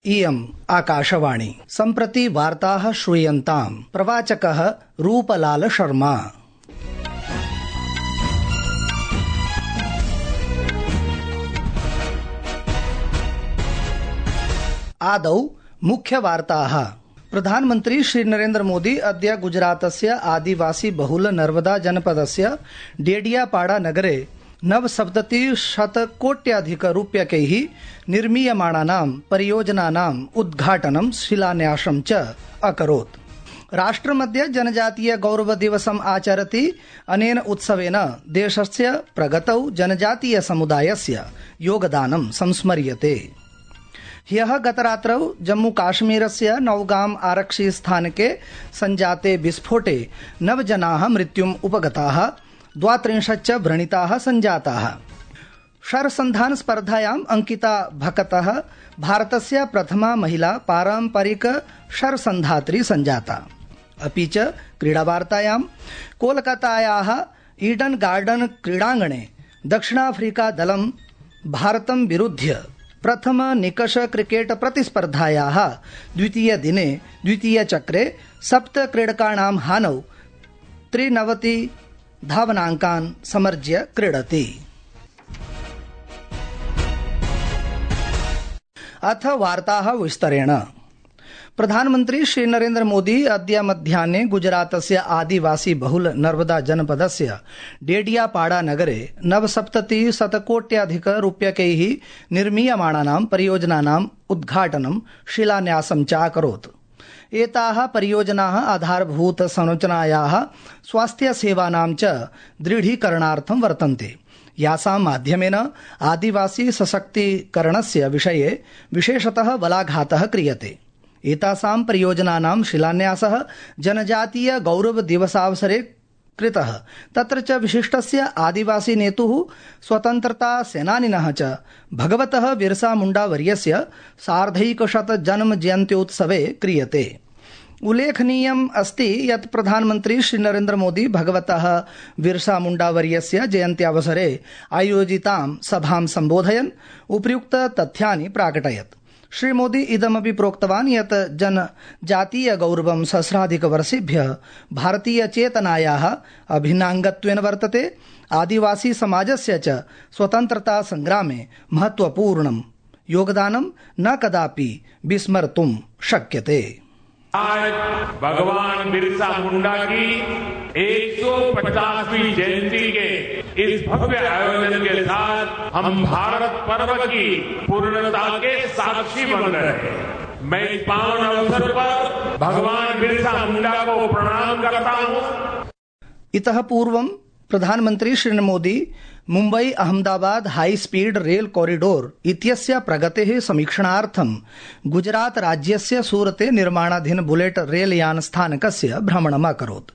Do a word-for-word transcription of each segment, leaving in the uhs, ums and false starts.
इयम् आकाशवाणी। सम्प्रति वार्ताः श्रूयन्ताम्। प्रवाचकः रूपलाल शर्मा। आदौ मुख्यवार्ताः। प्रधानमन्त्री श्री नरेन्द्र मोदी अद्य गुजरातस्य आदिवासी बहुल नर्मदा जनपदस्य डेडियापाड़ा नगरे नवसप्ततिशतकोट्याधिकरूप्यकैः निर्मीयमाणानां परियोजनानाम् उद्घाटनं शिलान्यासं च अकरोत्। राष्ट्रमद्य जनजातीय गौरव दिवसम् आचरति। अनेन उत्सवेन देशस्य प्रगतौ जनजातीय समुदायस्य योगदानं संस्मर्यते। ह्यः गतरात्रौ जम्मू काश्मीरस्य नौगाम आरक्षि स्थानके संजाते विस्फोटे नव जनाः मृत्युम् उपगताः, द्वात्रिंशच्च व्रणिताः संजाताः। शरसन्धान स्पर्धायाम् अंकिता भकतः भारतस्य प्रथमा महिला पारम्परिक शरसन्धात्री संजाता। अपि च क्रीडावार्तायां कोलकातायाः ईडन गार्डन क्रीडाङ्गणे दक्षिणाफ्रीका दलं भारतं विरुध्य प्रथम निकष क्रिकेट प्रतिस्पर्धायाः द्वितीय दिने द्वितीय चक्रे सप्त क्रीडकाणां हानौ त्रिनवति धावनाङ्कान् समर्ज्य क्रीडति। अथ वार्ताः विस्तरेण। प्रधानमन्त्री श्री नरेन्द्र मोदी अद्य मध्याह्ने गुजरातस्य आदिवासी बहुल नर्मदा जनपदस्य डेडियापाड़ा नगरे नवसप्ततिशतकोट्याधिक रूप्यकैः निर्मीयमाणानां परियोजनानाम् उद्घाटनं शिलान्यासं च अकरोत्। एताः परियोजनाः आधारभूत संरचनायाः स्वास्थ्य सेवानां च दृढीकरणार्थं वर्तन्ते, यासां माध्यमेन आदिवासी सशक्तीकरणस्य विषये विशेषतः बलाघातः क्रियते। एतासां परियोजनानां शिलान्यासः जनजातीय गौरव दिवसावसरे कृतः। तत्र च विशिष्टस्य आदिवासी नेतुः स्वतन्त्रता सेनानिनः च भगवतः बिरसा मुण्डा वर्यस्य सार्धैकशत जन्म जयन्त्योत्सवे क्रियते। उल्लेखनीयम् अस्ति यत् प्रधानमन्त्री श्री नरेन्द्र मोदी भगवतः बिरसा मुण्डा वर्यस्य जयन्त्यावसरे आयोजितां सभां सम्बोधयन् उपर्युक्त तथ्यानि प्राकटयत्। श्री मोदी इदमपि प्रोक्तवान् यत् जनजातीय गौरवं सहस्राधिकवर्षेभ्यः भारतीय चेतनायाः अभिन्नाङ्गत्वेन वर्तते। आदिवासी समाजस्य च स्वतन्त्रता संग्रामे महत्वपूर्णं योगदानं न कदापि विस्मर्तुं शक्यते। आज भगवान बिरसा मुंडा की एक सौ पचासवीं जयंती के इस भव्य आयोजन के साथ हम भारत पर्व की पूर्णता के साक्षी बन रहे हैं। मैं इस पावन अवसर पर भगवान बिरसा मुंडा को प्रणाम करता हूं। इतः पूर्वं प्रधानमन्त्री Shri Modi Mumbai Ahmedabad high speed rail corridor इत्यस्य प्रगतेः समीक्षणार्थं गुजरात राज्यस्य सूरते निर्माणाधीन बुलेट रेल यान स्थानकस्य भ्रमणम् अकरोत्।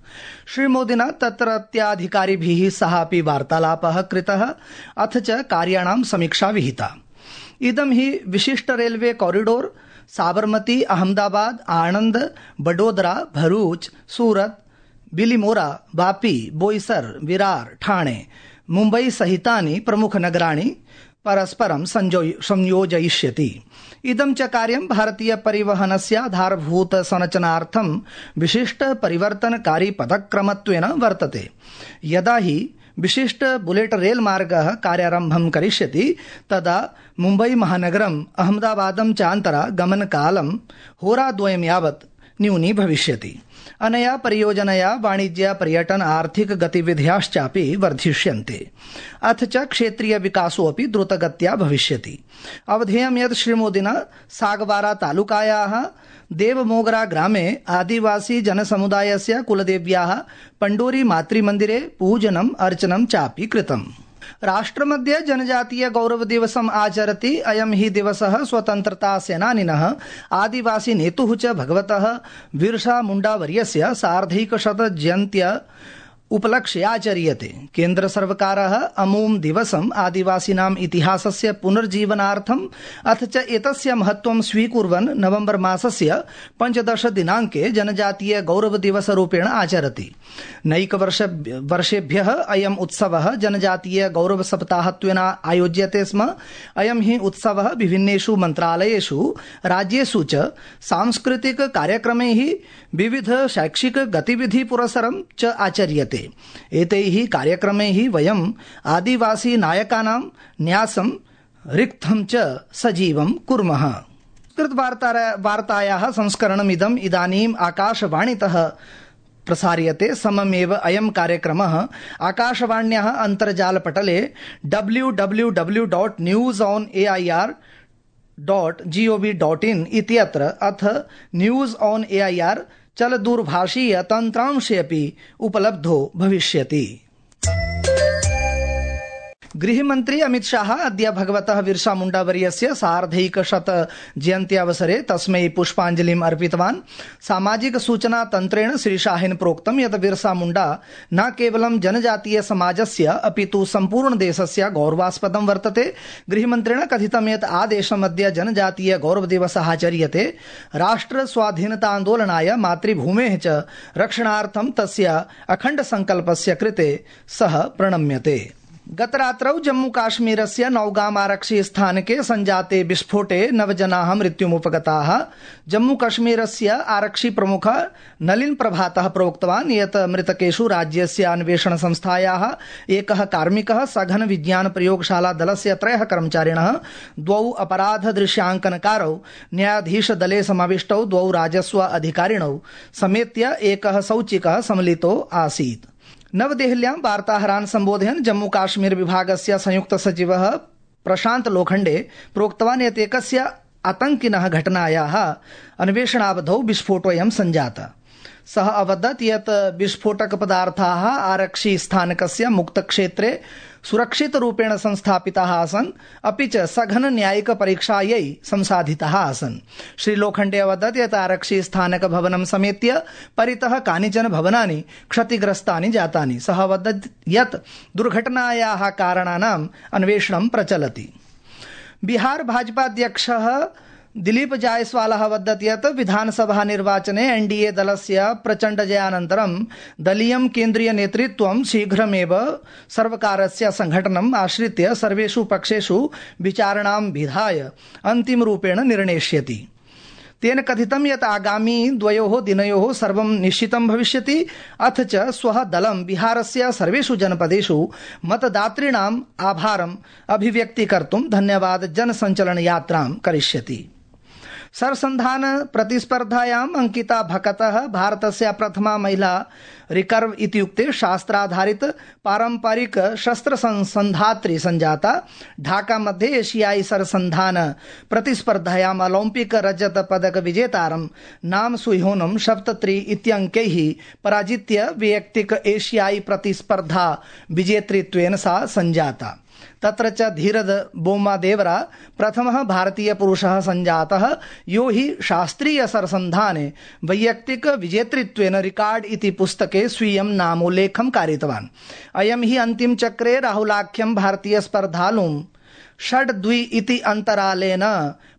श्रीमोदिना तत्रत्याधिकारिभिः सह अपि वार्तालापः कृतः, अथ च कार्याणां समीक्षा विहिता। इदं हि विशिष्ट रेलवे कॉरिडोर साबरमती, अहमदाबाद, आणंद, बडोदरा, भरूच, सूरत, बिलिमोरा, वापी, बोईसर, विरार, ठाणे, मुम्बई सहितानि प्रमुखनगराणि परस्परं संयोजयिष्यति। इदं च कार्यं भारतीय परिवहनस्य आधारभूत संरचनार्थं विशिष्ट परिवर्तनकारी पदक्रमत्वेन वर्तते। यदा हि विशिष्ट बुलेट रेल मार्गः कार्यारम्भं करिष्यति तदा मुम्बई महानगरम् अहमदाबादं च अन्तरा गमनकालं होराद्वयं यावत् न्यूनी भविष्यति। अनया परियोजनया वाणिज्य, पर्यटन, आर्थिक गतिविधयश्चापि वर्धिष्यन्ते। अथ च क्षेत्रीय विकासोऽपि द्रुतगत्या भविष्यति। अवधेयं यत् श्रीमोदिना सागवारा तालुकायाः देवमोगरा ग्रामे आदिवासी जनसमुदायस्य कुलदेव्याः पंडोरी मातृमन्दिरे पूजनम् अर्चनं चापि कृतम्। राष्ट्रमद्य जनजातीय गौरव दिवसम् आचरति। अयं हि दिवसः स्वतन्त्रता सेनानिनः आदिवासी नेतुः च भगवतः बिरसा मुण्डा वर्यस्य सार्धैकशत जयन्त्य उपलक्ष्य आचर्यते। केन्द्र सर्वकारः अमुं दिवसम् आदिवासिनाम् इतिहासस्य पुनर्जीवनार्थम् अथ च एतस्य महत्त्वं स्वीकुर्वन् नवम्बर मासस्य पञ्चदश दिनाङ्के जनजातीय गौरव दिवस रूपेण आचरति। नैकवर्ष वर्षेभ्यः अयम् उत्सवः जनजातीय गौरव सप्ताहत्वेन आयोज्यते स्म। अयं हि उत्सवः विभिन्नेषु मन्त्रालयेषु राज्येषु च सांस्कृतिक कार्यक्रमैः विविध शैक्षिक गतिविधि पुरस्सरं च आचर्यते। एतैः कार्यक्रमैः वयम् आदिवासी नायकानां न्यासं रिक्थं च सजीवं कुर्मः। संस्कृतवार्तायाः संस्करणमिदम् इदानीम् आकाशवाणीतः प्रसार्यते। सममेव अयं कार्यक्रमः आकाशवाण्याः अन्तर्जालपटले W W W dot news on A I R dot G O V dot in इत्यत्र अथ news on A I R चलदूरभाषीय तन्त्रांशे अपि उपलब्धो भविष्यति। गृहमन्त्री अमित शाह अद्य भगवतः बिरसा मुण्डा वर्यस्य सार्धैकशत जयन्त्यावसरे तस्मै पुष्पाञ्जलिम् अर्पितवान्। सामाजिक सूचना तन्त्रेण श्रीशाहेन प्रोक्तं यत् बिरसा मुण्डा न केवलं जनजातीय समाजस्य अपितु सम्पूर्ण देशस्य गौरवास्पदं वर्तते। गृहमन्त्रिणा कथितं यत् आदेशमद्य जनजातीय गौरव दिवसः आचर्यते। राष्ट्र स्वाधीनतान्दोलनाय मातृभूमेः च रक्षणार्थं तस्य अखण्ड संकल्पस्य कृते सः प्रणम्यते। गतरात्रौ जम्मू काश्मीरस्य नौगाम आरक्षि स्थानके संजाते विस्फोटे नव जनाः मृत्युमुपगताः। जम्मू कश्मीरस्य आरक्षि प्रमुख नलिन प्रभातः प्रोक्तवान् यत् मृतकेषु राज्यस्य अन्वेषण संस्थायाः एकः कार्मिकः, सघन विज्ञान प्रयोगशाला दलस्य त्रयः कर्मचारिणः, द्वौ अपराध दृश्यांकनकारौ, न्यायाधीश दले समाविष्टौ द्वौ राजस्व अधिकारिणौ समेत्य एकः सौचिकः सम्मिलितो आसीत्। नवदेहल्यां वार्ताहरान् सम्बोधयन् जम्मू काश्मीर विभागस्य संयुक्त सचिवः प्रशान्त लोखण्डे प्रोक्तवान् यत् एकस्य आतङ्किनः घटनायाः अन्वेषणावधौ विस्फोटोऽयं सञ्जातः। सः अवदत् यत् विस्फोटक पदार्थाः आरक्षि स्थानकस्य मुक्तक्षेत्रे सुरक्षितरूपेण संस्थापिताः आसन्, अपि च सघन न्यायिक परीक्षायै संसाधिताः आसन्। श्री लोखण्डे अवदत् यत् आरक्षि स्थानक भवनं समेत्य परितः कानिचन भवनानि क्षतिग्रस्तानि जातानि। सः अवदत् यत् दुर्घटनायाः कारणानाम् अन्वेषणं प्रचलति। बिहार भाजपाध्यक्षः दिलीप जायसवालः वदत् यत् विधानसभा निर्वाचने एनडीए दलस्य प्रचण्ड जयानन्तरं दलीयं केन्द्रीय नेतृत्वं शीघ्रमेव सर्वकारस्य संघटनम् आश्रित्य सर्वेषु पक्षेषु विचारणां विधाय अन्तिमरूपेण निर्णेष्यति। तेन कथितं यत् आगामी द्वयोः दिनयोः सर्वं निश्चितं भविष्यति, अथ च स्वः दलं बिहारस्य सर्वेषु जनपदेषु मतदातॄणाम् आभारम् अभिव्यक्तीकर्तुं धन्यवाद जनसञ्चलन यात्रां करिष्यति। सरसन्धान प्रतिस्पर्धायाम् अंकिता भकतः भारतस्य प्रथमा महिला रिकर्व इत्युक्ते शास्त्राधारित पारंपरिक शस्त्र संधात्री संजाता। ढाका मध्ये एशियाई सरसन्धान प्रतिस्पर्धायाम् ओलम्पिक रजत पदक विजेतारं नाम सुह्योनं सप्तत्रि इत्यङ्कैः पराजित्य वैयक्तिक एशियाई प्रतिस्पर्धा विजेतृत्वेन सा संजाता। तत्र च धीरज बोम्मादेवरा प्रथमः भारतीय पुरुषः संजातः यो हि शास्त्रीय सरसन्धाने वैयक्तिक विजेतृत्वेन रिकार्ड इति पुस्तके स्वीयं नामोल्लेखं कारितवान्। अयं हि अन्तिम चक्रे राहुलाख्यं भारतीय स्पर्धालुं षड् द्वि इति अन्तरालेन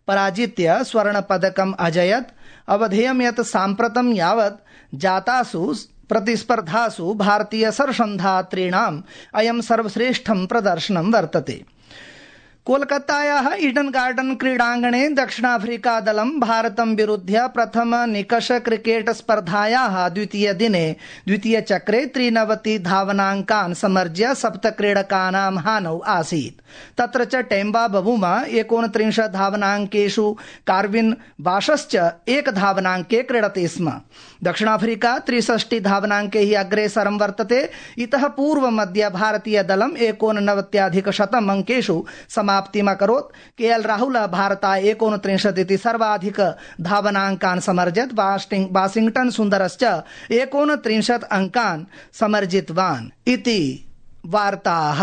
पराजित्य स्वर्ण पदकम् अजयत्। अवधेयं यत् साम्प्रतं यावत् जातासु प्रतिस्पर्धासु भारतीय सरसन्धात्रीणाम् अयं सर्वश्रेष्ठं प्रदर्शनं वर्तते। कोलकातायाः ईडन गार्डन क्रीडाङ्गणे दक्षिणाफ्रीका दलं भारतं विरुध्य प्रथम निकष क्रिकेट स्पर्धायाः द्वितीय दिने द्वितीय चक्रे त्रिनवति धावनाङ्कान् समर्ज्य सप्त क्रीडकानां हानौ आसीत्। तत्र च टेम्बा बबूमा एकोनत्रिंशत् धावनाङ्केषु कार्विन बाशश्च एक धावनाङ्के क्रीडति स्म। दक्षिणाफ्रीका त्रिषष्टि धावनाङ्कैः अग्रेसरं वर्तते। इतः पूर्वमद्य भारतीय दलम् एकोननवत्याधिक शतम् अङ्केषु समाप्तिम् अकरोत्। के एल राहुल भारताय एकोनत्रिंशत् इति सर्वाधिक धावनाङ्कान् समर्जत्। वाशिंग्टन सुन्दरश्च एकोनत्रिंशत् अङ्कान् समर्जितवान् इति वार्ताः।